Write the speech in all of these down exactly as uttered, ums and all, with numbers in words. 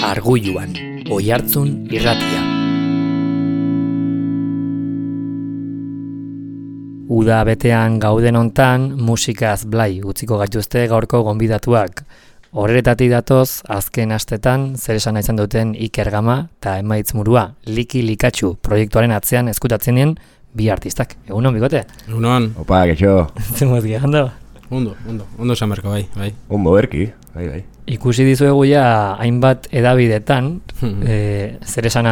Argulluan, Oihartzun irratia. Uda betean gauden hontan, musikaz blai utziko gaituzte gaurko gonbidatuak. Horretatik datoz, azken astetan, zer esan izan duten Iker Gama eta Emaitz Murua, Liki Likatxu proiektuaren atzean eskutatzen dien bi artistak. Egunon, bikote? Egunon. Opa, kexo. Zemuz gehando? Ondo, ondo, ondo esan berka, bai, bai. Ondo berki, bai, bai. Ikusi dizuegu ja hainbat edabidetan, e, zer esana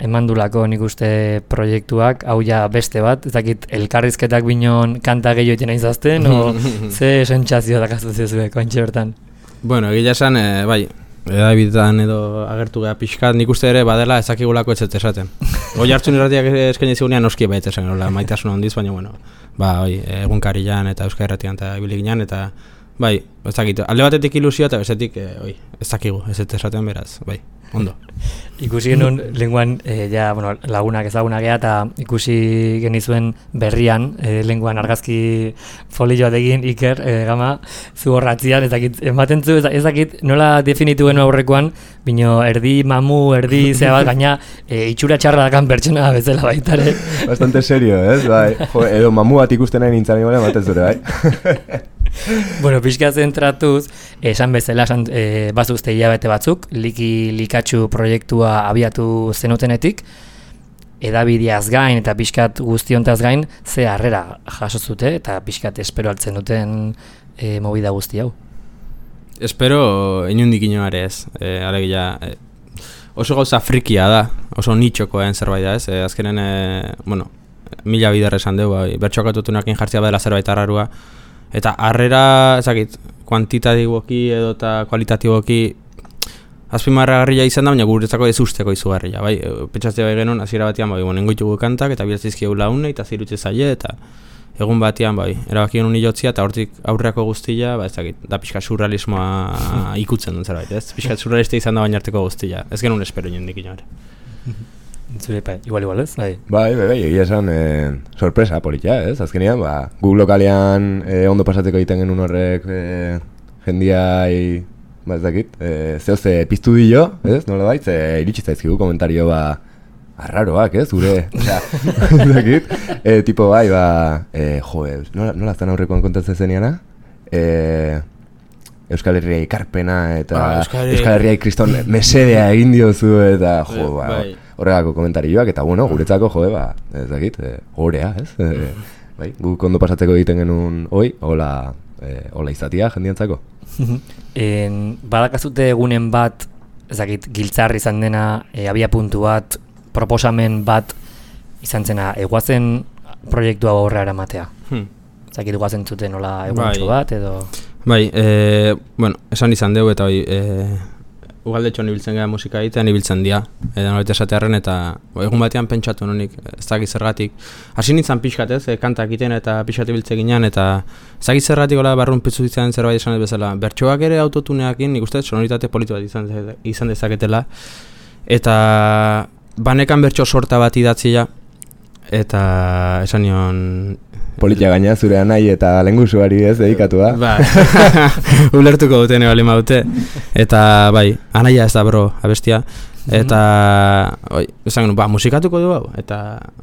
emandulako nik uste proiektuak, hau ja beste bat, ez dakit elkarrizketak binon kanta gehiago iten aizazten, o ze sentsazio dakazu zezuek, ointxe bertan? Bueno, egila esan, e, bai, edabidetan edo agertu geha pixkat, nik uste ere badela ezakigulako ez esaten. Oihartzun irratiak eskaini zigunean noski baita esan, maitasuna handiz, baina, bueno, ba, bai, egunkarian eta Euskal Irratian eta ibiliginan, eta bai, ez dakit, alde batetik ilusioa eta bestetik, e, oi, ez dakigu, ez ez esaten beraz, bai, ondo. Ikusi genuen lenguan, e, ja, bueno, lagunak ezagunak gea, eta ikusi genizuen berrian, e, lenguan argazki folioa egin Iker, e, Gama, zu horratzian, ez dakit, ematen zu, ez dakit, nola definitu genuen aurrekoan, bino erdi mamu, erdi zea bat, gaina e, itxura txarra dakan pertsona bezala baitare. Bastante serio, ez, bai, jo, edo mamu bat ikusten nahi nintzen igual ematen zure, bai. Bueno, pixka zentratuz, esan bezala, esan, e, bazuzte hilabete batzuk, Liki Likatxu proiektua abiatu zenutenetik, edabideaz gain eta pixkat guztiontaz gain, ze harrera jaso zute eta pixkat espero altzen duten e, movida guzti hau. Espero inundik inoare ez, e, alegia, e, oso gauza frikia da, oso nitxokoen zerbait da ez, e, azkenen, e, bueno, mila bider esan dugu, bai, bertxokatutunakin jartzea badela zerbait arrarua, eta harrera, ezakit, kuantitatiboki edo eta kualitatiboki azpimarragarria izan da, baina guretzako ez usteko izugarria, bai, pentsatzea bai genuen, hasiera batean, bai, nengoitugu kantak, eta bilatzizkiegu laune, eta zirutze zaie, eta egun batean, bai, erabaki genuen ilotzia, eta hortik aurreako guztia, ba, ezakit, da pixka surrealismoa ikutzen duen zerbait, ez? Pixka surrealista izan da bainarteko guztia, ez genuen espero inondik inoare. Zure, bai, igual, igual, ez? Bai, bai, bai, bai, egia esan, eh, sorpresa politia, ez? Azkenean, ba, guk lokalean eh, ondo pasateko egiten genuen horrek eh, jendiai, ba, ez dakit, eh, zehoze piztu dio, ez? Nola baitz, eh, iritsi zaizkigu komentario, ba, arraroak, ez? Gure, osea, ez dakit, eh, tipo, bai, ba, eh, jo, nola, nola zan aurrekoan kontatzen zeniana? Eh, Euskal Herria ikarpena eta ah, Euskal, Euskal Herria kriston mesedea egin diozu eta jo, ba, bai. Horregako komentarioak eta bueno, guretzako jo, ba, ez dakit, e, gorea, ez? E, bai, guk ondo pasatzeko egiten genuen hoi, hola, e, hola izatia jendientzako. en, badakazute egunen bat, ez dakit, giltzarri izan dena, e, abia puntu bat, proposamen bat izan zena, eguazen proiektua horre eramatea. Hmm. Ez dakit, eguazen zuten nola eguantxo bai. Bat, edo... Bai, e, bueno, esan izan dugu eta bai, e, ugaldetxoan ibiltzen gara musika egitean ibiltzen dira, edo nolete esatearen eta bo, egun batean pentsatu nonik, ez dakit zergatik. Hasi nintzen pixkat ez, e, kantak egiten eta pixkat ibiltze ginean eta ez dakit zergatik gola barrun piztu ditzen zerbait esan ez bezala. Bertsoak ere autotuneakin, nik uste sonoritate politu bat izan, izan dezaketela eta banekan bertso sorta bat idatzia eta esan nion... Politia gaina zure anai eta lengusuari ez dedikatu da. Ba, ulertuko dute ne bali maute. Eta bai, anaia ez da bro abestia. Eta, oi, esan genuen, ba, musikatuko du hau. Eta,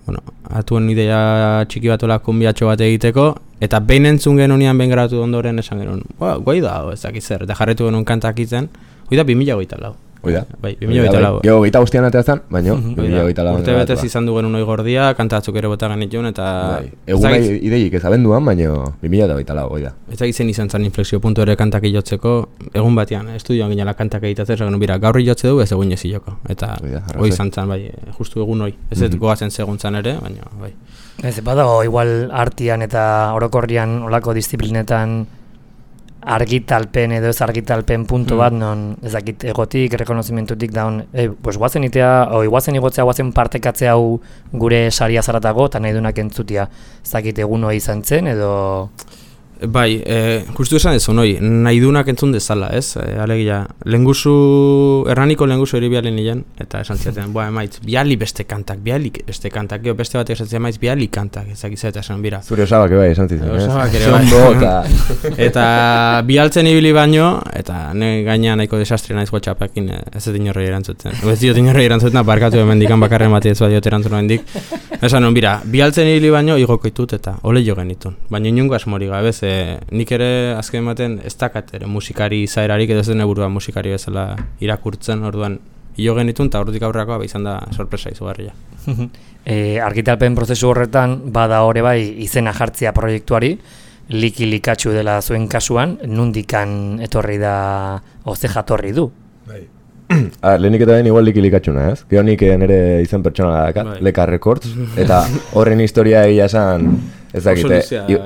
bueno, atuen ideia txiki bat ola kumbiatxo bat egiteko. Eta behin entzun genuen behin grabatu ondoren esan genuen, ba, guai da, ez dakiz zer. Eta jarretu genuen kantak itzen, hoi da bi mila goita lau. Oida. Bai, bi mila goita lau. Gego geita guztian ateazan, baina bi mila goita lau. Urte betez izan dugen unoi gordia, kantatzuk ere bota genituen, eta... Bai. Egun nahi ideik ez abenduan, baina bi mila goita lau, oida. Ez egiten izan zen inflexio puntu ere kantak ilotzeko, egun batean, estudioan ginela kantak egitatzen, esan bira, gaur ilotze dugu ez egun eziloko. Eta hoi izan zen, bai, justu egun hoi. Ez ez goazen seguntzan ere, baina, bai. Ez, badago, igual artian eta orokorrian olako disiplinetan argitalpen edo ez argitalpen puntu bat, non ez dakit egotik, rekonozimentutik daun, e, pues guazen itea, o guazen igotzea, guazen partekatzea hau gure saria zaratago, eta nahi dunak entzutia, ez dakit egun hori izan zen, edo... Bai, e, justu esan ez honoi, nahi dunak entzun dezala, ez? E, alegia, lenguzu, erraniko lenguzu eri biali nilen, eta esan ziaten, boa, emaitz, biali beste kantak, biali beste kantak, gero beste batek esan ziaten, emaitz, biali kantak, ezak izan, esan, bira. Zure osabak bai, esan zitzen, ez? Osabak ere bai. Eta... eta bialtzen ibili baino, eta ne gainean nahiko desastre naiz WhatsAppekin ez ez inorrei erantzuten. Ez diot inorrei erantzuten, barkatu hemendikan bakarren bati ez badiot erantzun hemendik. Esan non, bira, bialtzen ibili baino igokoitut eta ole jo genitun. Baina inungo asmori gabe, ze nik ere azken ematen ez dakat ere musikari izaerarik edo ez den burua musikari bezala irakurtzen, orduan jo genitun eta ordutik aurrekoa izan da sorpresa izugarria. e, argitalpen prozesu horretan bada ore bai izena jartzea proiektuari, liki likatxu dela zuen kasuan, nundikan etorri da, oze jatorri du. Bai. Ah, lehenik eta ben igual liki likatxuna, ez? Gero nik nire izen pertsonala dakat, Leka Records, eta horren historia egia esan, ez dakite,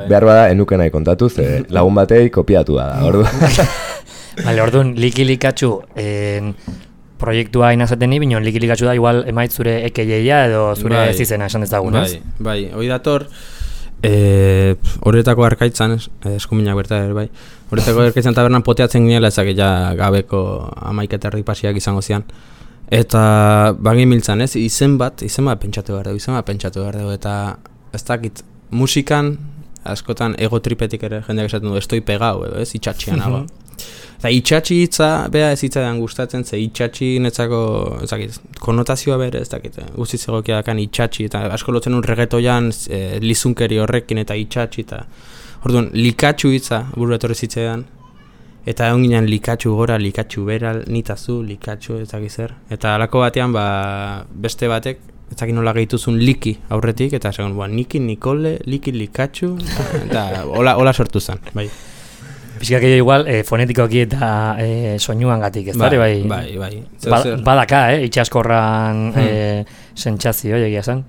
behar bada enuke nahi kontatu, ze lagun batei kopiatu da, orduan. Bale, orduan, liki likatxu, en, proiektua inazaten ni, binon liki likatxu da, igual emait zure ekeieia edo zure bai, zizena esan dezagun, ez? Bai, bai, hori dator, E, horretako arkaitzan, eskuminak berta ere bai, horretako arkaitzan tabernan poteatzen ginela ezak ja gabeko amaiketerri pasiak izango zian. Eta bagin miltzan ez, izen bat, izen bat pentsatu behar dugu, izen bat pentsatu behar dugu, eta ez dakit, musikan, askotan ego tripetik ere jendeak esaten du, estoi pegau edo ez, itxatxian nago. Eta itxatxi hitza, beha ez hitzaidan gustatzen, ze itxatxi netzako, ez dakit, konotazioa bere, ez dakit, guztiz egokia dakan itxatxi, eta asko lotzen un reggaetoian e, lizunkeri horrekin eta itxatxi, eta orduan, likatxu hitza buru etorri zitzaidan, eta egon ginen likatxu gora, likatxu bera, nitazu, likatxu, ez dakit zer, eta alako batean, ba, beste batek, ez dakit nola gehituzun liki aurretik, eta esan, ba, niki, nikole, liki, likatxu, eta hola, hola sortu zen, bai. Pixkak egin igual, e, fonetikoki eta e, soinuan gatik, ez dara, bai? Bai, bai. Ba, badaka, eh, itxaskorran hmm. e, sentsazio, egia zen.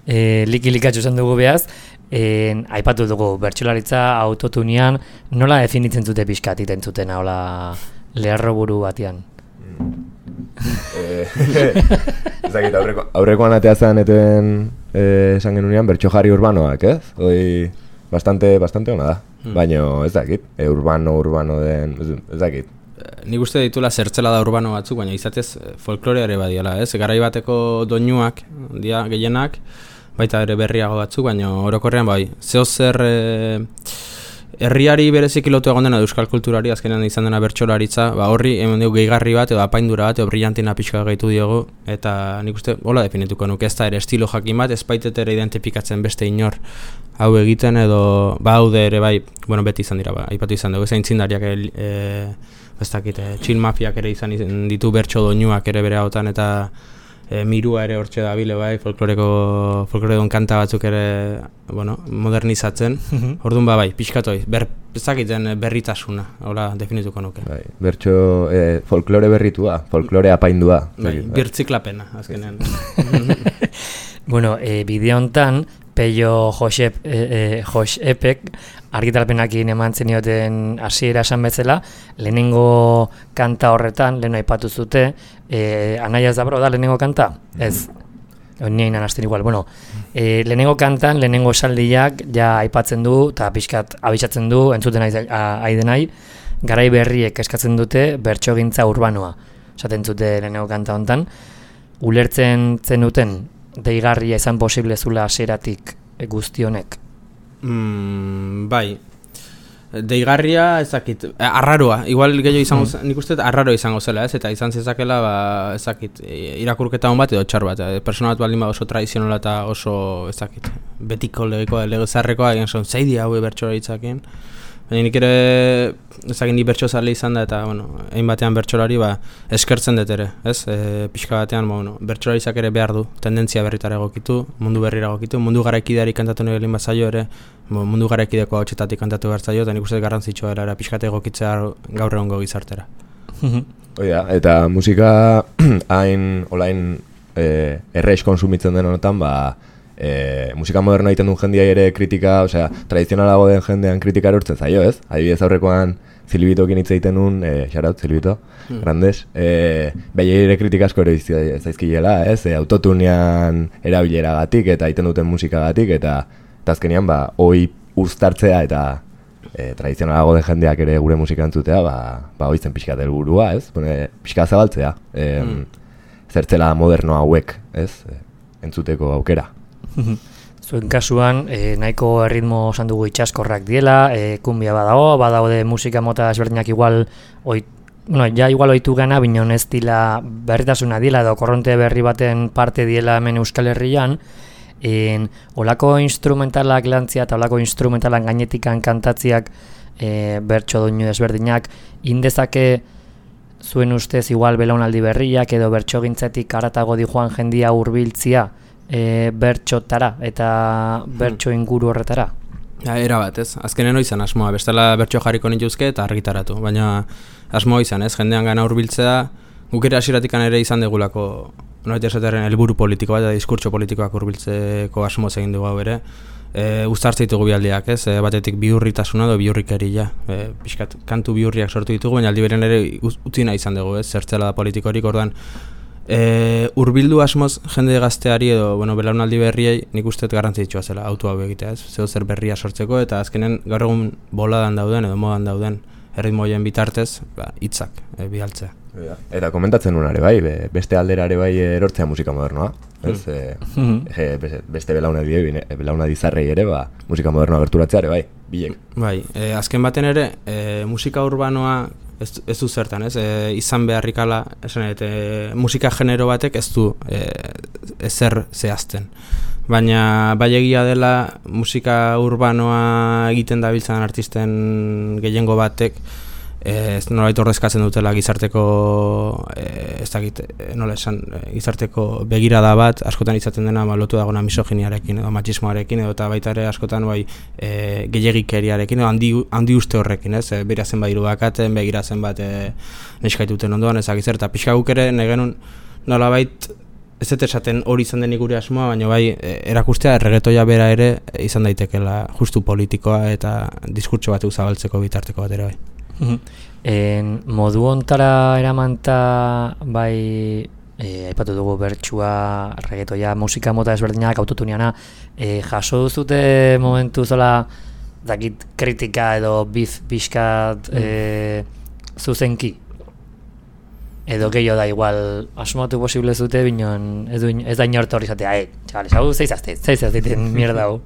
e, liki likatxu zen dugu behaz, e, aipatu dugu, bertsolaritza autotunean, nola definitzen zute pixkat iten zuten, hola, leharro buru batean? Ezakit, aurreko, aurrekoan atea zen eten esan genunean bertso jarri urbanoak, ez? Hoi, bastante, bastante ona da. Hmm. Baina ez dakit, e, urbano, urbano den, ez, ez dakit. Nik uste ditula zertzela da urbano batzuk, baina izatez folkloreare badiala, ez? Garai bateko doinuak, dia gehienak, baita ere berriago batzuk, baina orokorrean bai, zeo zer e, herriari bereziki lotu egon dena euskal kulturari, azkenean izan dena bertsolaritza, ba horri hemen dugu gehigarri bat, edo apaindura bat, edo brillantina pixka gaitu diogu, eta nik uste, hola definituko nuke, ez da ere estilo jakin bat, ez baitet ere identifikatzen beste inor hau egiten, edo ba haude ere bai, bueno, beti izan dira, ba, aipatu izan dugu, ez aintzindariak e, ez dakit, e, chill mafiak ere izan ditu bertso doinuak ere bere hautan, eta e, mirua ere hortxe da bile bai, folkloreko, folkloredon kanta batzuk ere, bueno, modernizatzen, orduan ba bai, pixkatoi, ber, ez dakiten berritasuna, hola definituko nuke. Bai, bertso, e, folklore berritua, folklore apaindua. Bai, birtziklapena, azkenean. Bueno, e, bideo hontan, Peio Josep, e, e, Josepek argitalpenakin eman zenioten hasiera esan bezala, lehenengo kanta horretan, lehen aipatu zute, e, Anaia Zabro da lehenengo kanta? Ez, nien anazten igual, bueno, e, lehenengo kantan, lehenengo esaldiak ja aipatzen du, eta pixkat abitsatzen du, entzuten aidenai, garai berriek eskatzen dute bertsogintza urbanoa, esaten zute lehenengo kanta hontan, ulertzen zenuten, deigarria izan posible zula hasieratik guzti honek? Mm, bai, deigarria ezakit, arraroa, igual gehiago izango, mm. nik uste arraroa izango zela, ez, eta izan zezakela, ba, ezakit, irakurketa hon bat edo txar bat, persona bat baldin ba oso tradizionala eta oso, ezakit, betiko legeko, legezarrekoa, egin son, zeidi hau bertxora hitzakin, baina nik ere, ezagin ni bertso zale izan da, eta, bueno, egin batean bertsolari, ba, eskertzen dut ere, ez? E, pixka batean, ba, bueno, bertsolarizak ere behar du, tendentzia berritara egokitu, mundu berrira egokitu, mundu garaikideari kantatu nahi lehen bazaio ere, mundu garaikideko hau txetatik kantatu behar zaio, eta nik uste garrantzitsua era, pixkate egokitzea gaur egongo gizartera. Oia, eta musika hain, olain, e, erreiz konsumitzen den honetan, ba, E, musika moderno egiten duen jendia ere kritika, osea, tradizionalago den jendean kritika erortzen zaio, ez? Adibidez aurrekoan Zilbitokin hitz egiten nuen, e, shoutout Zilbito, hmm. grandes, e, behi ere kritika asko ere zaizkilela, ez? E, autotunean erabileragatik eta egiten duten musikagatik, eta, eta azkenean, ba, hoi uztartzea eta e, tradizionalago den jendeak ere gure musika entzutea, ba, ba oitzen pixkat helburua, ez? Bune, pixka zabaltzea, e, mm. zertzela moderno hauek, ez? E, entzuteko aukera. Zuen kasuan, e, nahiko erritmo esan dugu itxaskorrak diela, e, kumbia badago, badaude musika mota ezberdinak igual, oi, bueno, ja igual oitu gana, binon ez dila berritasuna diela, edo korronte berri baten parte diela hemen Euskal Herrian, en, olako instrumentalak lantzia eta olako instrumentalan gainetikan kantatziak e, bertso doinu ezberdinak, indezake zuen ustez igual belaunaldi berriak edo bertso gintzetik aratago di joan jendia hurbiltzia e, bertxotara eta bertso inguru horretara? Ja, era bat, ez? Azkenen izan asmoa, bestela bertso jarriko nituzke eta argitaratu, baina asmoa izan, ez? Jendean gana hurbiltzea, guk ere hasieratikan ere izan degulako norbait esatearen helburu politiko bat eta diskurtso politikoak hurbiltzeko asmoz egin dugu hau ere. E, uztartze ditugu bialdiak, ez? E, batetik bihurritasuna edo bihurrikeria. E, pixkat kantu bihurriak sortu ditugu, baina aldi beren ere utzi nahi izan dugu, ez? Zertzela da politikorik, orduan e, hurbildu asmoz jende gazteari edo, bueno, belaunaldi berriei nik uste garrantzitsua zela auto hau egitea, ez? Zeo zer berria sortzeko eta azkenen gaur egun boladan dauden edo modan dauden erritmoien bitartez, ba, hitzak e, bidaltzea. Eta komentatzen nuen ere bai, beste aldera ere bai erortzea musika modernoa, ez? Mm. E, e, beste belaunadi, belaunadi zarrei ere, ba, musika modernoa gerturatzea ere bai, bilek. Bai, e, azken baten ere, e, musika urbanoa ez, ez du zertan, ez? E, izan beharrikala, esan e, musika genero batek ez du e, ezer zehazten. Baina bai egia dela musika urbanoa egiten dabiltzan artisten gehiengo batek ez nolabait ordezkatzen dutela gizarteko e, ez dakit, nola esan, gizarteko begirada bat askotan izaten dena ba, lotu dagona misoginiarekin edo matxismoarekin edo eta baita ere askotan bai e, gehiagikeriarekin edo handi, handi uste horrekin, ez? E, berazen bat irudakaten, begirazen bat e, neskaituten ondoan ezagitzer eta pixka guk ere negenun nolabait ez dut esaten hori izan denik gure asmoa, baina bai erakustea erregetoia bera ere izan daitekela justu politikoa eta diskurtso batzuk zabaltzeko bitarteko bat ere bai. En, modu ontara eramanta bai e, aipatu dugu bertsua, reggaetoia, musika mota ezberdinak, autotuniana, e, jaso duzute momentu zola dakit kritika edo biz pixkat e, zuzenki? Edo gehiago da igual asmatu posible zute, binon ez, du, ez da inort hori zatea, eh, txavales, hau zeizazte, zeizazteiten mierda hau.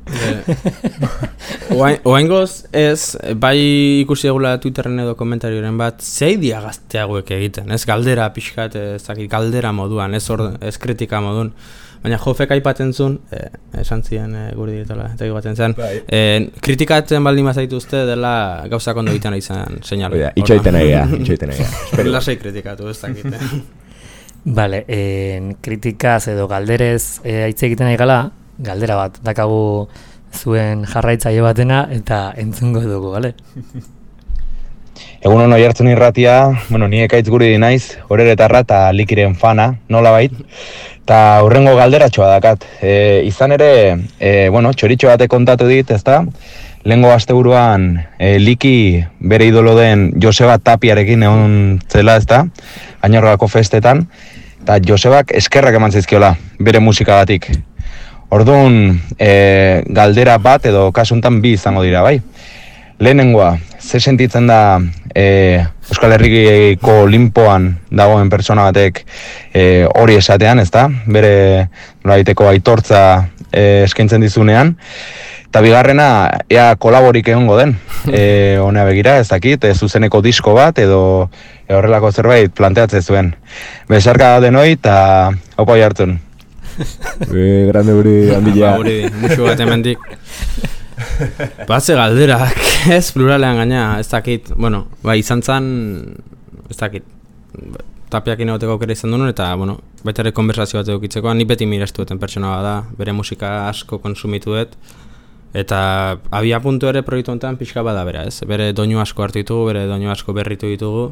Oaingoz ez, bai ikusi egula Twitterren edo komentarioren bat, zei dia gazteagoek egiten, ez galdera pixkat, ez dakit, galdera moduan, ez, or, ez kritika modun. Baina Jofek aipatzen zuen, eh, esan ziren eh, guri diretola, eta egibaten zen, eh, kritikatzen baldin mazaitu uste dela gauzak ondo egiten izan seinalo. Oida, itxoiten egia, itxoiten egia. Lasai kritikatu, ez dakit. Vale, en, kritikaz edo galderez eh, aitze egiten nahi gala, galdera bat, dakagu zuen jarraitzaile batena eta entzungo dugu, bale? Egun hon oihartzun irratia, bueno, ni ekaitz guri naiz, horeretarra eta likiren fana, nola bait. Eta hurrengo galderatxoa dakat. E, izan ere, e, bueno, txoritxo batek kontatu dit, ezta? Lehengo asteburuan e, liki bere idolo den Joseba Tapiarekin egon zela, ezta? Añorgako festetan. Eta Josebak eskerrak eman zizkiola, bere musikagatik. Orduan, e, galdera bat edo kasuntan bi izango dira, bai? Lehenengoa, ze sentitzen da e, Euskal Herriko Olimpoan dagoen pertsona batek e, hori esatean, ezta? Bere nolabaiteko aitortza e, eskaintzen dizunean. Eta bigarrena, ea kolaborik egongo den. E, honea begira, ez dakit, e, zuzeneko disko bat edo e, horrelako zerbait planteatzen zuen. Besarka denoi eta haupa jartzen. E, grande guri handia. Guri, musu bat emendik. Batze galderak, ez pluralean gaina, ez dakit, bueno, bai izan zan, ez dakit, Tapiakin egoteko aukera izan duen, eta, bueno, baita ere konversazio bat edukitzeko, ni beti mirestu duten pertsona bat da, bere musika asko konsumitu dut, eta abia puntu ere proiektu honetan pixka bada bera, ez? Bere doinu asko hartu ditugu, bere doinu asko berritu ditugu,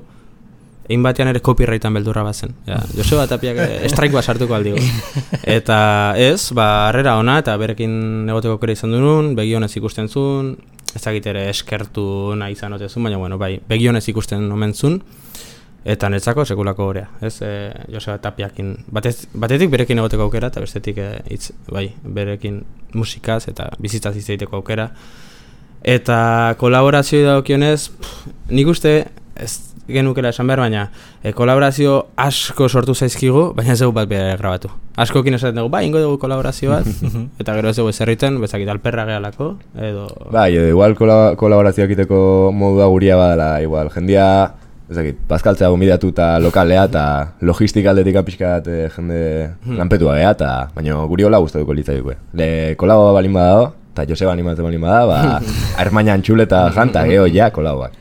egin batean ere copyrightan beldurra bazen. Ja, Joseba Tapiak strike bat sartuko aldigu. Eta ez, ba, harrera ona eta berekin egoteko aukera izan duen, begionez ikusten zuen, ez dakit ere eskertu nahi izan otezun, baina bueno, bai, begionez ikusten omen zuen, eta netzako sekulako horea, ez, e, Joseba Tapiakin. Batez, batetik berekin egoteko aukera, eta bestetik e, itz, bai, berekin musikaz eta bizitzaz izateko aukera. Eta kolaborazio dagokionez, nik uste, ez genukela esan behar, baina e, kolaborazio asko sortu zaizkigu, baina ez dugu bat bera grabatu. Askokin esaten dugu, ba, ingo dugu kolaborazio bat, eta gero ez dugu ezerriten, bezakit alperra gehalako, edo... Bai, edo igual kola, kolaborazio egiteko modua guria badala, igual, jendia, ezakit, paskaltzea gomidatu eta lokalea, eta logistika aldetik apiskat e, jende hmm. lanpetua geha, eta baina guri hola gustatuko litzaiuk. Le kolaboa balin badao, eta Joseba animatzen balin bada, ba, hermaina antxule eta janta, geho, ja, kolaboak.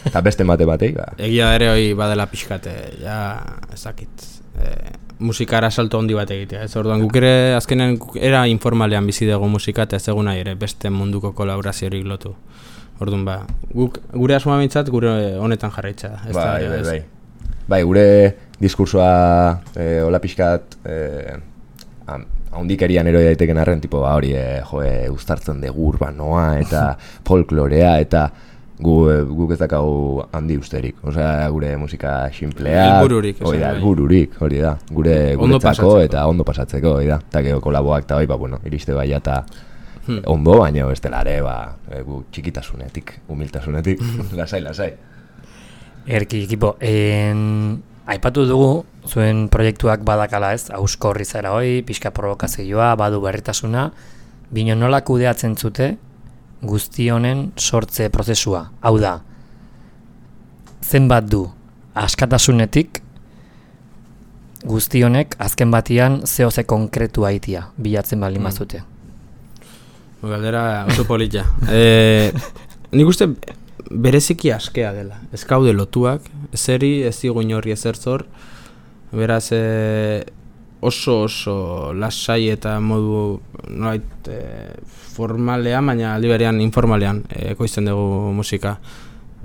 Eta beste mate batei, ba. Egia ere hoi badela pixkate, ja, ezakit, e, musikara salto handi bat egitea. Ez orduan, guk ere, azkenean, era informalean bizi dugu musika, eta ez eguna ere beste munduko kolaboraziorik lotu. Orduan, ba, guk, gure asmoa bintzat, gure honetan jarraitza. Ez bai, da, bai, ez. bai. Bai, gure diskursoa, e, hola pixkat, e, haundikerian eroi daiteken arren, tipo, ba, hori, e, jo, e, uztartzen dugu urbanoa, eta folklorea, eta gu, guk ez dakagu handi usterik. Osea, gure musika xinplea, helbururik, hori da, helbururik, hori da, gure guretzako eta ondo pasatzeko, hori da. Eta gero kolaboak eta hori, ba, bueno, iriste bai eta hmm. ondo, baina bestelare, ba, gu txikitasunetik, humiltasunetik, lasai, lasai. Erki, ekipo, en... aipatu dugu, zuen proiektuak badakala ez, auskorri zara hoi, pixka provokazioa, badu berritasuna, bino nola kudeatzen zute guzti honen sortze prozesua. Hau da, zenbat du askatasunetik guzti honek azken batian zehoze konkretua itia, bilatzen baldin bazute. Mm. Galdera oso polita. e, nik uste bereziki askea dela. Ez kaude lotuak, zeri ez digu inorri ezer zor, beraz e, oso oso lasai eta modu nolait e, formalean, baina aldi berean informalean e, ekoizten dugu musika.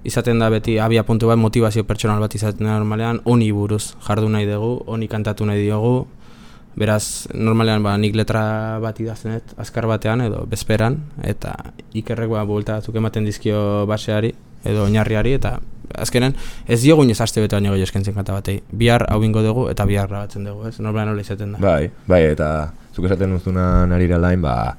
Izaten da beti abia puntu bat, motivazio pertsonal bat izaten da normalean, honi buruz jardu nahi dugu, honi kantatu nahi diogu, beraz normalean ba, nik letra bat idaztenet azkar batean edo bezperan, eta ikerrek ba, buelta batzuk ematen dizkio baseari edo oinarriari, eta azkenen ez diogu inoz aste bete baino gehiago eskaintzen kanta batei. Bihar hau ingo dugu eta bihar grabatzen dugu, ez? Normalean nola izaten da. Bai, bai, eta zuk esaten duzuna narira lain, ba,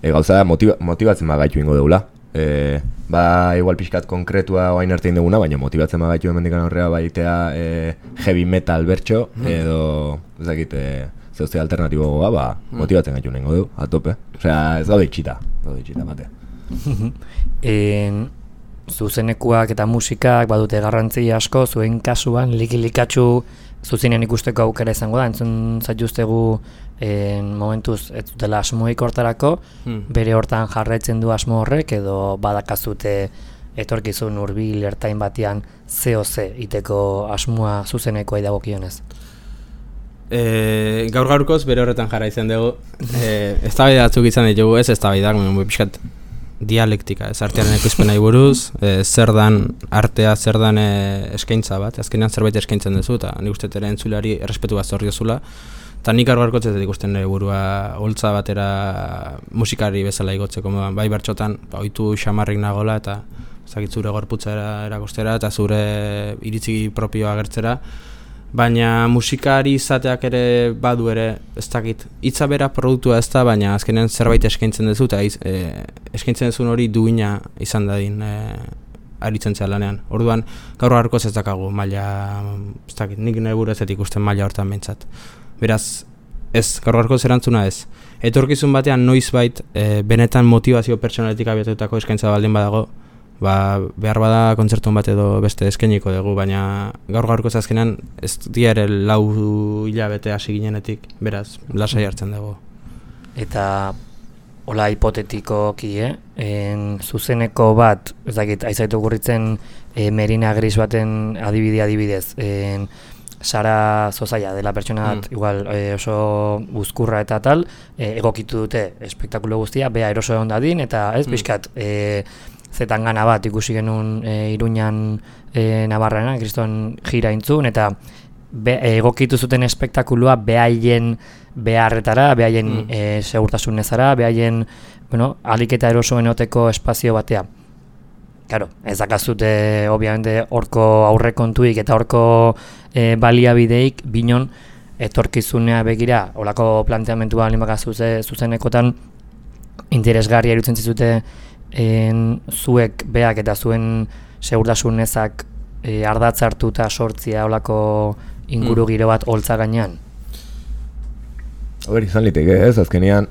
e, gauza motiva, motibatzen bagaitu ingo dugula. E, ba, igual pixkat konkretua oain arte indeguna, baina motibatzen bagaitu hemendikan aurrera baitea e, heavy metal bertxo, edo, ez dakit, e, zeuzte alternatibo goa, ba, motibatzen gaitu nengo du, atope. Osea, ez gaude itxita, gaude itxita, mate. en, zuzenekuak eta musikak badute garrantzi asko, zuen kasuan likilikatxu zuzinen ikusteko aukera izango da, entzun zaituztegu en, momentuz ez dutela asmoik hortarako, hmm. bere hortan jarraitzen du asmo horrek, edo badakazute etorkizun hurbil ertain batean zeo ze iteko asmoa zuzenekoa idagokionez. E, gaur gaurkoz bere horretan jarraitzen dugu, e, eztabaida batzuk izan ditugu, ez eztabaidak, pixkat dialektika, ez artearen ekoizpenai buruz, e, zer dan artea, zer dan e, eskaintza bat, azkenean zerbait eskaintzen duzu, eta nik uste ere entzuleari errespetu bat zor diozula, eta nik gaur gaurkoz ez ikusten nire burua holtza batera musikari bezala igotzeko, bai bertxotan, ba, oitu xamarrik nagola, eta zakit zure gorputza erakostera, eta zure iritzi propioa agertzera, baina musikari izateak ere badu ere, ez dakit, hitza bera produktua ez da, baina azkenean zerbait eskaintzen duzu, eta e, eskaintzen duzun hori duina izan dadin e, aritzen zea lanean. Orduan, gaur gaurkoz ez dakagu maila, ez dakit, nik nire buru ez dut ikusten maila hortan behintzat. Beraz, ez, gaur gaurkoz erantzuna ez. Etorkizun batean noizbait e, benetan motivazio pertsonaletik abiatutako eskaintza baldin badago, ba, behar bada kontzertun bat edo beste eskainiko dugu, baina gaur gaurko azkenean ez diare lau hilabete hasi ginenetik, beraz, lasai hartzen dugu. Eta hola hipotetikoki, eh? En, zuzeneko bat, ez dakit, aizaitu gurritzen e, Merina Gris baten adibide adibidez, en, Sara Zozaia dela pertsona bat, mm. igual e, oso buzkurra eta tal, e, egokitu dute espektakulo guztia, bea eroso egon dadin, eta ez, mm. pixkat, e, zetan gana bat ikusi genuen e, Iruñan e, Navarrena, kriston jira intzun, eta be, egokitu zuten espektakulua behaien beharretara, behaien mm. e, segurtasunezara, behaien, bueno, alik eta erosoen oteko espazio batea. Claro, ez dakazute, obviamente, horko aurrekontuik eta horko e, baliabideik binon etorkizunea begira, holako planteamentua limakaz zuzenekotan interesgarria irutzen zizute en, zuek beak eta zuen segurtasun ezak e, ardatz hartuta sortzia olako inguru giro bat holtza gainean? Hori izan liteke ez, azkenean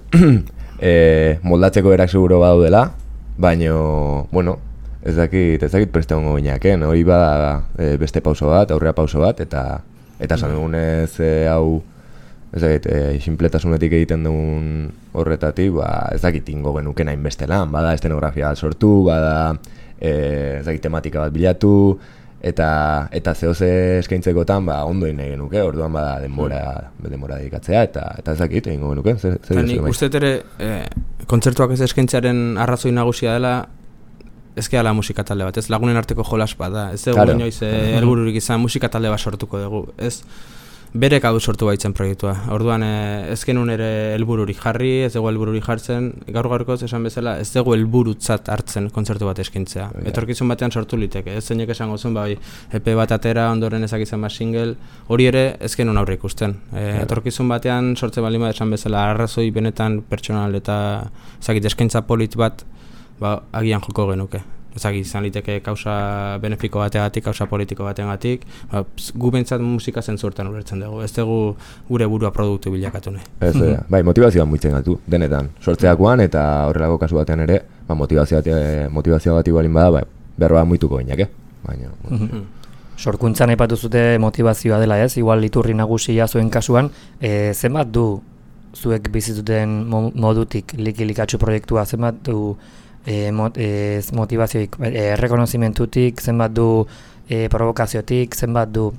e, moldatzeko berak seguro badaudela, baino, bueno, ez dakit, ez dakit preste hongo gineaken, hori bada e, beste pauso bat, aurrea pauso bat, eta eta esan dugunez e, hau, ez dakit, e, sinpletasunetik egiten dugun horretatik, ba, ez dakit ingo genuken hainbeste lan, bada estenografia sortu, bada e, ez dakit tematika bat bilatu, eta eta zehoze eskaintzekotan ba ondo egin genuke, orduan bada denbora denbora dedikatzea eta eta ez dakit egingo genuke. Zer zer nik uste ere e, kontzertuak ez eskaintzearen arrazoi nagusia dela ezkeala musika talde bat, ez lagunen arteko jolas bat da, ez dugu claro. Inoiz helbururik izan musika talde bat sortuko dugu, ez berek hau sortu baitzen proiektua, orduan e, ez genuen ere helbururik jarri, ez dugu helbururik jartzen, gaur gaurkoz esan bezala, ez dugu helburutzat hartzen kontzertu bat eskaintzea, yeah. Etorkizun batean sortu liteke, ez zeinek esango zuen, bai, E P bat atera, ondoren ezakitzen bat single, hori ere ez genuen aurre ikusten, e, yeah. Etorkizun batean sortze baldin bat esan bezala, arrazoi benetan pertsonal eta ezakit eskaintza polit bat, ba, agian joko genuke. Ezagik izan liteke kausa benefiko bategatik, kausa politiko bategatik, ba, gu bentsat musika zentzurtan ulertzen dugu, ez dugu gure burua produktu bilakatu nahi. Ez, mm-hmm. Bai, motivazioan muitzen gatu, denetan, sortzeakoan eta horrelako kasu batean ere, ba, motivazioa gati balin bada, ba, berroa muituko gineak, eh? Baina, mm-hmm. Sorkuntzan aipatu zute motivazioa dela ez, igual iturri nagusia zuen kasuan, e, zenbat du zuek bizituten modutik likilikatxu proiektua, zenbat du E, mot, e, motivazioik, e, errekonozimentutik, zenbat du e, provokaziotik, zenbat du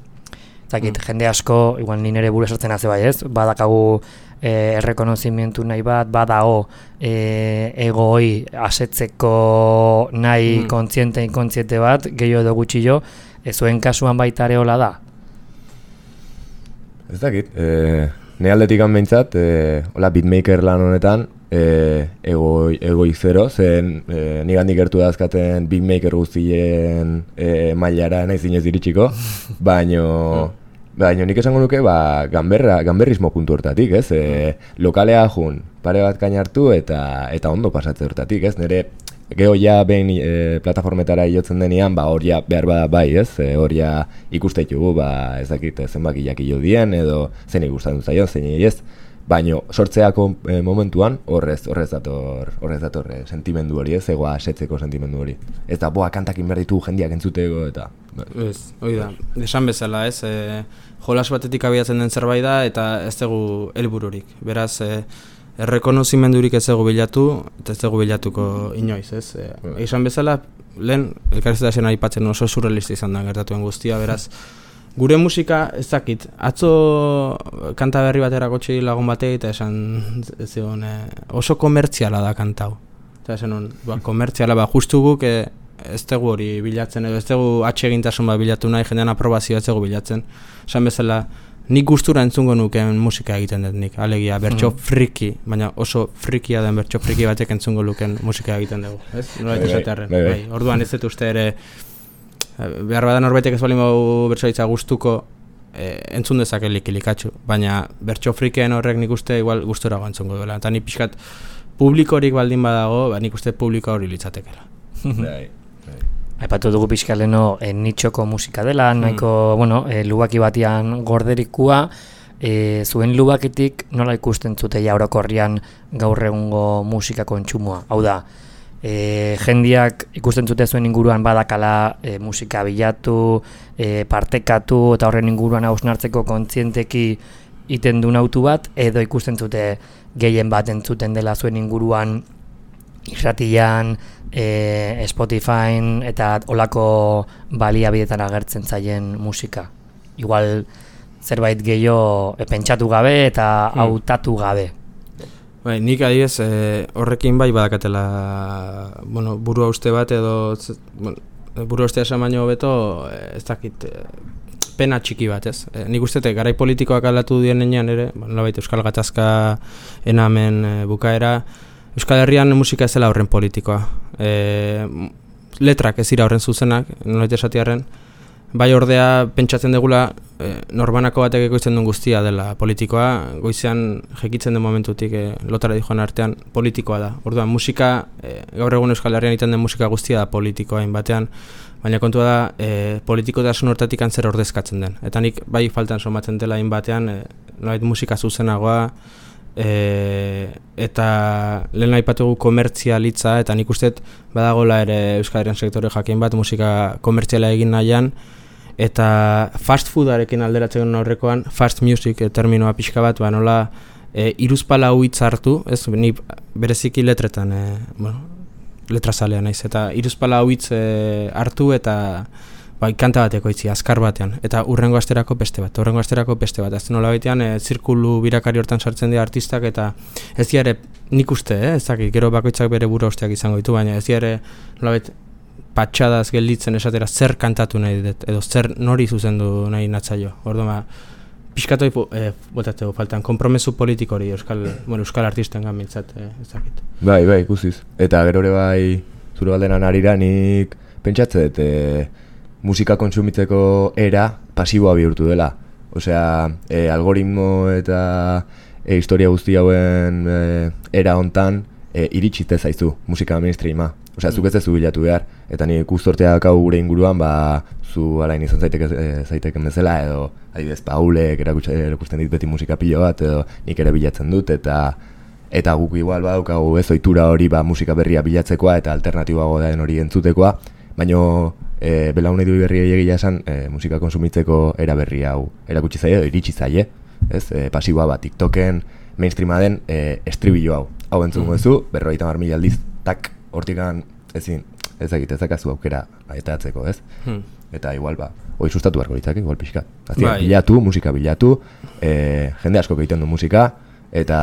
zakit, mm. jende asko, igual ni nire buru esartzen haze bai ez, badakagu e, errekonozimentu nahi bat, badao e, egoi asetzeko nahi mm. kontziente, inkontziente bat, gehiago edo gutxillo, e, zuen kasuan baita ere hola da? Ez dakit, e, ne aldetik behintzat, e, hola beatmaker lan honetan, E, ego, egoi zero, zen e, nigandik gertu dazkaten beatmaker guztien e, mailara nahi zinez iritsiko, baino, baino nik esango nuke ba, ganberra, ganberrismo puntu hortatik, ez? E, lokalea jun, pare bat kainartu eta eta ondo pasatze hortatik, ez? Nire geho ja behin e, plataformetara iotzen denean, ba, hor ja behar bada bai, ez? E, hor ja ikusteitugu, ba, ez dakit zenbakiak ilo dien, edo zen ikusten zaion, zein ez? Baino sortzeako e, momentuan horrez horrez dator horrez dator e, sentimendu hori, ez egoa asetzeko sentimendu hori. Ez da boa kantakin behar ditu jendiak entzuteko eta ez, hori da. Esan bezala, ez, e, jolas batetik abiatzen den zerbait da eta ez dugu helbururik. Beraz, e, errekonozimendurik ez dugu bilatu eta ez dugu bilatuko inoiz, ez. E, esan bezala, lehen elkarrizketaren aipatzen oso surrealista izan da gertatuen guztia, beraz gure musika ez dakit, atzo kanta berri batera kotxi lagun batei eta esan zion, e, oso komertziala da kantau. Eta esan hon, ba, komertziala, ba, justu guk e, ez dugu hori bilatzen, edo ez dugu atsegintasun bat bilatu nahi, jendean aprobazioa ez dugu bilatzen. Esan bezala, nik gustura entzungo nuken musika egiten dut nik, alegia, bertso mm. friki, baina oso frikia den bertso friki batek entzungo luken musika egiten dugu. Ez? Nola esatearren. Bai, orduan ez dut uste ere, behar badan norbaitek ez balin bau bertsoitza gustuko e, entzun dezake likilikatxu, baina bertso frikeen horrek nik uste igual gustora entzungo duela, eta nik pixkat publikorik baldin badago, ba, nik uste publiko hori litzatekela. Aipatu dugu pixka leno e, nitxoko musika dela, nahiko, mm. bueno, e, lubaki batian gorderikua, e, zuen lubakitik nola ikusten zute ja orokorrian gaur egungo musika kontsumoa, hau da, E, jendiak ikusten zute zuen inguruan badakala e, musika bilatu, e, partekatu eta horren inguruan hausnartzeko kontzienteki iten duen autu bat, edo ikusten zute gehien bat entzuten dela zuen inguruan irratian, e, Spotifyn eta olako baliabidetan agertzen zaien musika. Igual zerbait gehiago e, pentsatu gabe eta hmm. hautatu gabe. Bai, nik adibidez eh, horrekin bai badakatela bueno, burua uste bat edo bueno, burua ustea esan baino beto eh, ez dakit eh, pena txiki bat, ez? Eh, nik uste garai politikoak aldatu dienean ere, bueno, nolabait Euskal Gatazka enamen eh, bukaera, Euskal Herrian musika ez dela horren politikoa. Eh, letrak ez dira horren zuzenak, nolabait esatiarren, bai ordea pentsatzen degula e, norbanako batek ekoizten duen guztia dela politikoa, goizean jekitzen den momentutik e, lotara dijoan artean politikoa da. Orduan musika, e, gaur egun Euskal Herrian egiten den musika guztia da politikoa batean, baina kontua da e, politikotasun hortatik zer ordezkatzen den. Eta nik bai faltan somatzen dela batean, e, nolait musika zuzenagoa, e, eta lehen aipatugu komertzialitza, eta nik usteet badagola ere Euskal Herrian sektore jakin bat musika komertziala egin nahian, eta fast foodarekin alderatzen aurrekoan, fast music e, terminoa pixka bat, ba, nola e, iruzpala huitz hartu, ez, ni bereziki letretan, e, bueno, letrazalea naiz, eta iruzpala huitz e, hartu eta bai, kanta bateko itzi, azkar batean, eta urrengo asterako beste bat, urrengo asterako beste bat, azten nola baitean, e, zirkulu birakari hortan sartzen dira artistak, eta ez diare, nik uste, eh, ez dakit, gero bakoitzak bere buru osteak izango ditu, baina ez diare, nola bait, patxadaz gelditzen esatera zer kantatu nahi dut, edo zer nori zuzendu nahi natzaio. Orduan, ba, pixkatoi eh, botateko faltan, kompromesu politik hori euskal, bueno, euskal artisten gamintzat, eh, ez dakit. Bai, bai, ikusiz. Eta gero ere bai, zure galderan arira, nik pentsatze dut e, musika kontsumitzeko era pasiboa bihurtu dela. Osea, e, algoritmo eta e, historia guzti hauen e, era hontan e, iritsite zaizu musika mainstreama. Osea, zuk ez ez zu bilatu behar, eta nik guztorteak hau gure inguruan, ba, zu alain izan zaiteke, zaiteken bezala, edo adibidez Paulek erakusten dit beti musika pilo bat, edo nik ere bilatzen dut, eta eta guk igual badaukagu ez ohitura hori ba, musika berria bilatzekoa eta alternatiboago den hori entzutekoa, baina e, belaunaldi berriei egia esan e, musika konsumitzeko era berri hau erakutsi zaie edo iritsi zaie, ez? E, pasiboa bat TikToken mainstreama den e, estribillo hau. Hau entzungo duzu, berrogeita hamar mila aldiz, tak, hortikan ezin, ez egite, ezakazu aukera aetatzeko, ez? Hmm. Eta igual, ba, hori sustatu beharko litzake, igual pixka. Aztien, bai. Bilatu, musika bilatu, e, jende asko egiten du musika, eta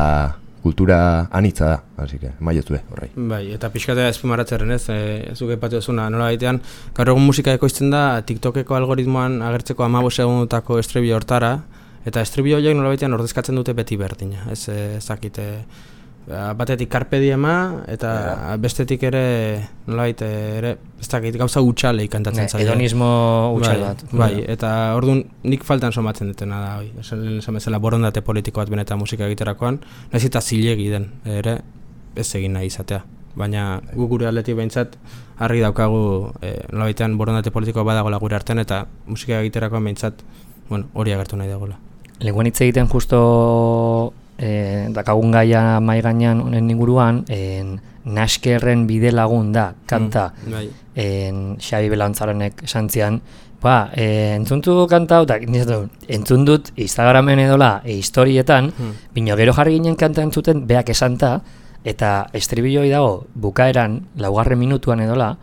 kultura anitza da, así que, maietu horrei. Bai, eta pixkatea espimaratzearen ez, e, zuk epatu ezuna, nola baitean, gaur egun musika ekoizten da, TikTokeko algoritmoan agertzeko hamabost segundutako estribillo hortara, eta estribillo horiek nola baitean ordezkatzen dute beti berdina, ez ezakite, batetik carpe diema eta yeah. Bestetik ere nolait ere ez dakit gauza hutsale kantatzen zaio. Hedonismo hutsal bat. Bai, bai, eta orduan nik faltan somatzen dutena da hori. Esan bezala borondate politiko bat benetan musika egiterakoan, nahiz eta zilegi den ere ez egin nahi izatea. Baina gu gure aldetik behintzat argi daukagu e, nolabaitean borondate politikoa badagoela gure artean eta musika egiterakoan behintzat bueno, hori agertu nahi dagoela. Lenguan hitz egiten justo E, dakagun gaia mai gainean honen inguruan, en, Naskerren bide lagun da, kanta, mm, bai. en, Xabi Belantzarenek santzian, ba, e, entzuntu kanta, eta entzun dut Instagramen edola, e, historietan, mm. bino gero jarri ginen kanta entzuten, beak esanta, eta estribilloi dago bukaeran, laugarren minutuan edola,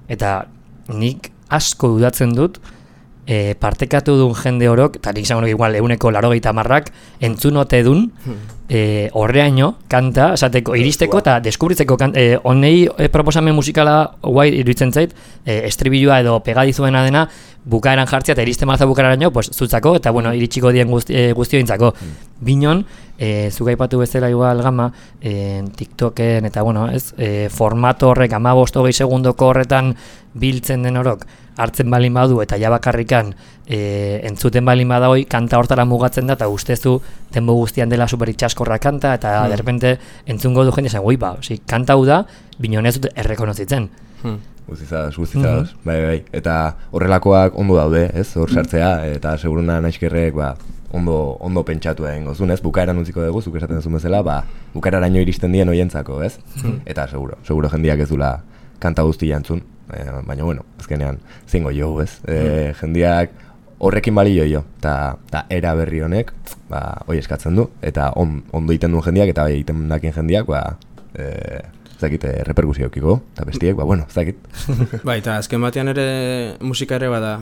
eta nik asko dudatzen dut, E, partekatu duen jende horok, eta nik zango igual eguneko larogeita marrak, entzunote dun, e, horreaino, kanta, esateko, iristeko eta deskubritzeko kanta, e, honei e, proposamen musikala guai iruditzen zait, e, estribilloa edo pegadizuena dena, bukaeran jartzea eta iristen marza bukaeraino, pues, zutzako, eta bueno, iritsiko dien guzti, e, guztiointzako. Binon, e, zugaipatu bezala igual gama, e, TikToken, eta bueno, ez, e, formato horrek hamabost hogei segundoko horretan biltzen den horok, hartzen balin badu eta ja bakarrikan e, entzuten balin badagoi kanta hortara mugatzen da eta ustezu denbo guztian dela super itxaskorra kanta eta hmm. derrepente entzungo du jende esan, oi ba, osi, kanta hau da, binon ez dut errekonozitzen. Hmm. Guztizados, guztizados, mm-hmm. bai, bai, eta horrelakoak ondo daude, ez, hor sartzea, eta seguruna naizkerrek, ba, ondo, ondo pentsatu egin gozun, ez, bukaeran utziko dugu, zuk esaten zuen bezala, ba, bukaeraraino iristen dien oientzako, ez, hmm. eta seguro, seguro jendiak ez dula kanta guztia entzun. E, baina, bueno, azkenean zingo jo, ez? E, mm. Jendiak horrekin balio jo, eta era berri honek, ba, hoi eskatzen du, eta on, ondo egiten duen jendiak, eta bai egiten dakin jendiak, ba, e, zakit, reperkusio eukiko, eta bestiek, ba, bueno, zakit. Bai, eta azken batean ere musika ere bada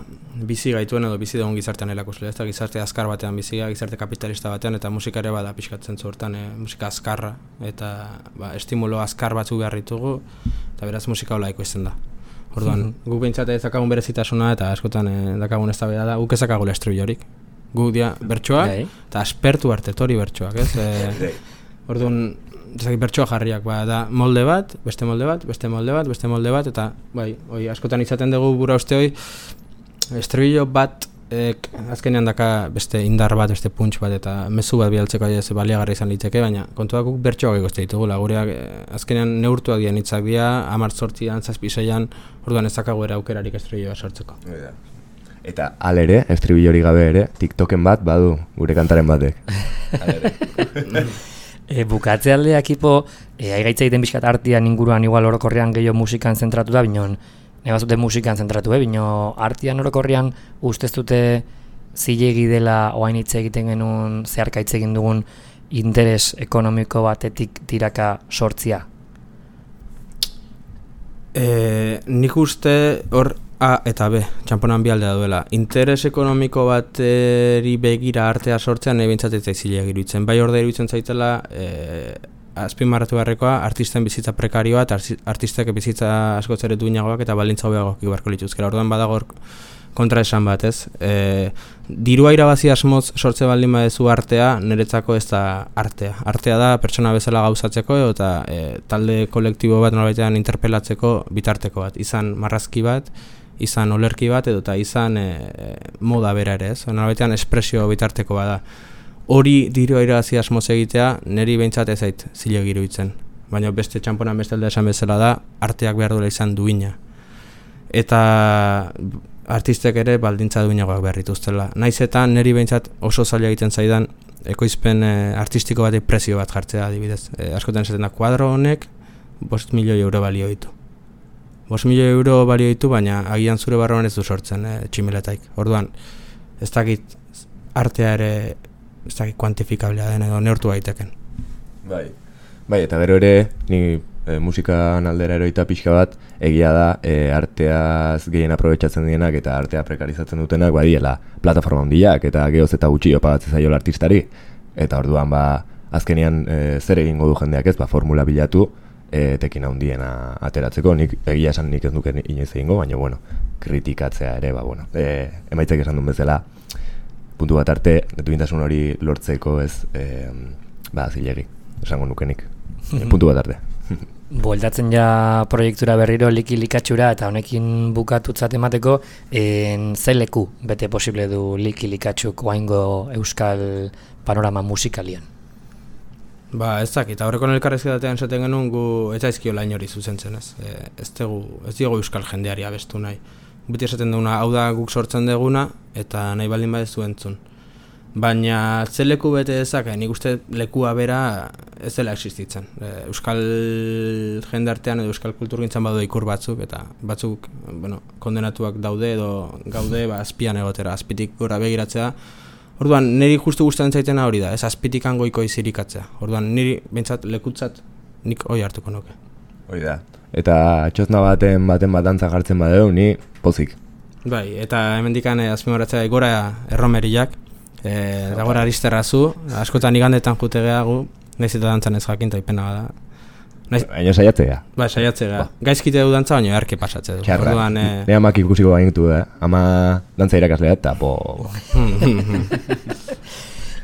bizi gaituen edo bizi dugun gizartean erakusle, ez da gizarte azkar batean bizia, gizarte kapitalista batean, eta musika ere bada pixkatzen zuertan, e, musika azkarra, eta ba, estimulo azkar batzu behar ditugu, eta beraz musika hola ekoizten da. Orduan, mm-hmm. guk behintzate ezakagun berezitasuna eta askotan e, dakagun ez da beda da, guk ezakagula estribillorik. Guk dia bertsoak eta aspertu arte tori bertsoak, ez? E, orduan, ezakit bertsoa jarriak, ba, da molde bat, beste molde bat, beste molde bat, beste molde bat, eta bai, oi, askotan izaten dugu bura uste hoi, estribillo bat ek, azkenean daka beste indar bat, beste punch bat eta mezu bat bialtzeko ez baliagarri izan liteke, baina kontuak guk bertsoak egozte ditugula, gureak azkenean neurtuak dian hitzak dira, hamar zortzian, zazpi seian, orduan ez dakago era aukerarik estribilloa sortzeko. Eta alere, estribillori gabe ere, TikToken bat badu gure kantaren batek. E, bukatze alde ekipo, e, aigaitza egiten bizkat artian inguruan igual orokorrean gehiago musikan zentratu da, binon, neba zute musikan zentratu, eh? Bino artian orokorrean ustez dute zilegi dela oain hitz egiten genuen zeharkaitz egin dugun interes ekonomiko batetik tiraka sortzia? E, nik uste hor A eta B, txamponan bi aldea duela. Interes ekonomiko bateri begira artea sortzean nahi bintzatetzai zileak iruditzen. Bai orde iruditzen zaitela, e, azpimarratu beharrekoa, artisten bizitza prekarioa eta artistek bizitza askoz ere duinagoak eta baldintza hobeagoak ibarko lituzkela. Orduan badago kontra esan bat, ez? E, dirua irabazi asmoz sortze baldin badezu artea, niretzako ez da artea. Artea da pertsona bezala gauzatzeko eta e, talde kolektibo bat nolabaitean interpelatzeko bitarteko bat. Izan marrazki bat, izan olerki bat edo eta izan e, moda bera ere, ez? Nolabaitean espresio bitarteko bada. Hori dirua irabazi asmoz egitea, niri behintzat ez zait zilegi iruditzen. Baina beste txamponan beste alde esan bezala da, arteak behar duela izan duina. Eta artistek ere baldintza duinagoak behar dituztela. Naiz eta niri behintzat oso zaila egiten zaidan ekoizpen e, artistiko batek prezio bat jartzea adibidez. E, askotan esaten da, kuadro honek bost milioi euro balio ditu. bost milioi euro balio ditu, baina agian zure barruan ez du sortzen e, tximeletaik. Orduan, ez dakit artea ere ez dakit kuantifikablea den edo neurtu gaiteken. Bai, bai eta gero ere, ni e, musikan aldera eroita pixka bat, egia da e, arteaz gehien aprobetxatzen dienak eta artea prekarizatzen dutenak badiela plataforma handiak eta geoz eta gutxi opagatzen zaiola artistari. Eta orduan ba, azkenean e, zer egingo du jendeak ez, ba, formula bilatu e, tekin handiena ateratzeko. Nik egia esan nik ez duken inoiz egingo, baina bueno, kritikatzea ere, ba, bueno, e, emaitzak esan duen bezala, puntu bat arte, duintasun hori lortzeko ez, e, ba, zilegi, esango nukenik. E, puntu bat arte. Bueltatzen ja proiektura berriro liki likatxura eta honekin bukatutzat emateko, en ze leku bete posible du liki likatxuk oaingo euskal panorama musikalian? Ba, ez dakit, aurreko elkarrezketatean esaten genuen gu ez aizkio lain hori zuzentzen, ez? E, ez dugu, ez dugu euskal jendeari abestu nahi. Beti esaten duguna, hau da guk sortzen deguna eta nahi baldin badezu entzun. Baina ze leku bete dezake, nik uste lekua bera ez dela existitzen. E, euskal jendartean edo euskal kulturgintzan badu ikur batzuk eta batzuk, bueno, kondenatuak daude edo gaude ba, azpian egotera, azpitik gora begiratzea. Orduan, niri justu gustatzen zaitena hori da, ez azpitik goiko izirikatzea. Orduan, niri bentsat lekutzat nik hori hartuko nuke. Hori da. Eta txosna baten baten bat dantza jartzen badeu, ni pozik. Bai, eta hemendikan azpimarratzea gora erromeriak, e, eta gora aristerrazu, askotan igandetan jute gehagu, nahiz eta dantzan ez jakin taipena bada. Baina saiatzea. Ba, saiatzea. Gaizkite du dantza, baina erke pasatze du. Txarra. Orduan, eh... ne amak ikusiko bainitu, eh? Ama dantza irakaslea eta po...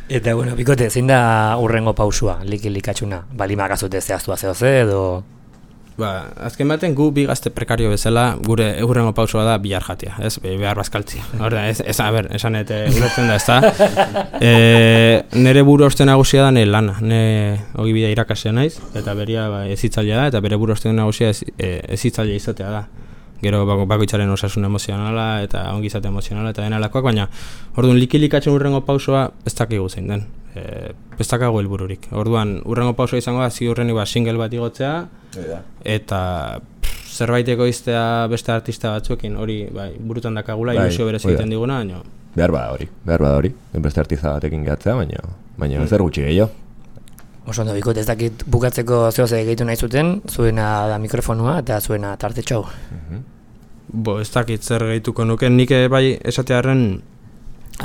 Eta, bueno, bikote, zein da urrengo pausua, liki likatxuna? Balimak azute zehaztua zehoze edo... Ba, azken baten gu bi gazte prekario bezala gure urrengo pausua da bihar jatea, ez? Behar bazkaltzia. Horda, ez, ez, a ber, esan eta ulertzen da, ez da? E, nere buru oste nagusia da nire lana. Ne hogi bidea irakasia naiz, eta beria ba, ezitzailea da, eta bere buru oste nagusia ez, e, ezitzailea izatea da. Gero bako, bakoitzaren osasun emozionala eta ongizate emozionala eta denalakoak, baina orduan likilikatzen urrengo pausua ez dakigu zein den. E, ez dakago helbururik. Orduan, urrengo pausua izango da, ziurrenik ba, single bat igotzea, eta pff, zerbaiteko iztea beste artista batzuekin, hori bai, burutan dakagula, bai, ilusio berez egiten diguna, baina... Behar bada hori, behar bada hori, beste artista batekin gehatzea, baina, baina mm. zer gutxi gehiago. Oso ondo, bikot, ez dakit bukatzeko zehoze gehitu nahi zuten, zuena da mikrofonua eta zuena tartetxau. Mm-hmm. Bo, ez dakit zer gehituko nuke, nik bai esatearen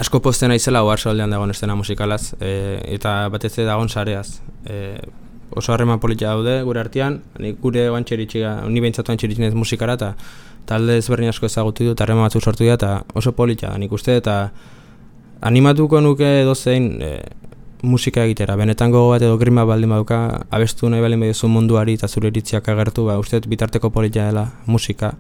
asko posten naizela oharsoaldean dagoen estena musikalaz, e, eta batez ere dagoen sareaz. E, oso harreman politia daude gure artean, nik gure oantxeritxiga, ni behintzatu oantxeritxinez musikara, eta talde ezberdin asko ezagutu dut, harreman batzuk sortu dira, eta oso politia da nik uste, eta animatuko nuke edozein e, musika egitera, benetan gogo bat edo grima baldin baduka, abestu nahi baldin baduzu munduari eta zure iritziak agertu, ba, uste bitarteko politia dela musika,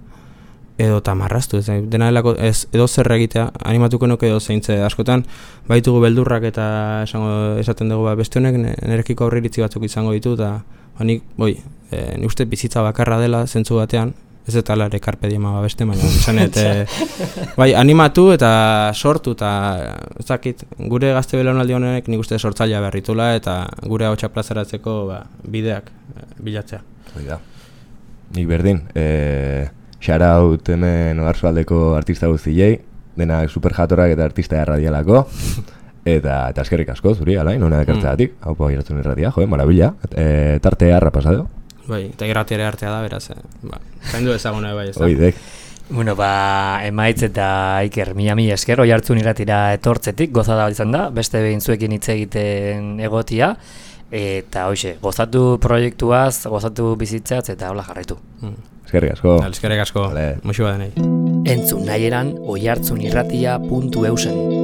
edo tamarraztu, ez dena delako ez edo zer egitea, animatuko nuke edo zeintze askotan, baitugu beldurrak eta esango, esaten dugu ba, beste honek nerekiko aurreiritzi batzuk izango ditu, eta ba, nik, boi, e, ni uste bizitza bakarra dela zentzu batean, ez eta alare karpe diema ba beste, baina esanet, e, bai, animatu eta sortu, eta ez dakit, gure gazte belaunaldi honek nik uste sortzailea berritula, eta gure ahotsa plazaratzeko ba, bideak e, bilatzea. Hoi da. Nik berdin, e... Shoutout hemen Oarsoaldeko artista guztiei, denak super jatorak eta artista erradialako, eta, eta eskerrik asko, zuri, alain, hona dekartzeatik, hau po iratzen irratia, joe, marabila, e, tarte harra pasado. Bai, eta irrati ere artea da, beraz, eh? Ba, zaindu ezaguna bai ez da. Oidek. Bueno, ba, emaitz eta Iker, mila mila esker, oi hartzun irratira etortzetik, gozada izan da, beste behin zuekin hitz egiten egotia, eta hoxe, gozatu proiektuaz, gozatu bizitzaz, eta hola jarraitu. Mm. Eskerrik asko. Eskerrik asko, muxu badenei. Entzun nahi eran oihartzunirratia puntu eusen.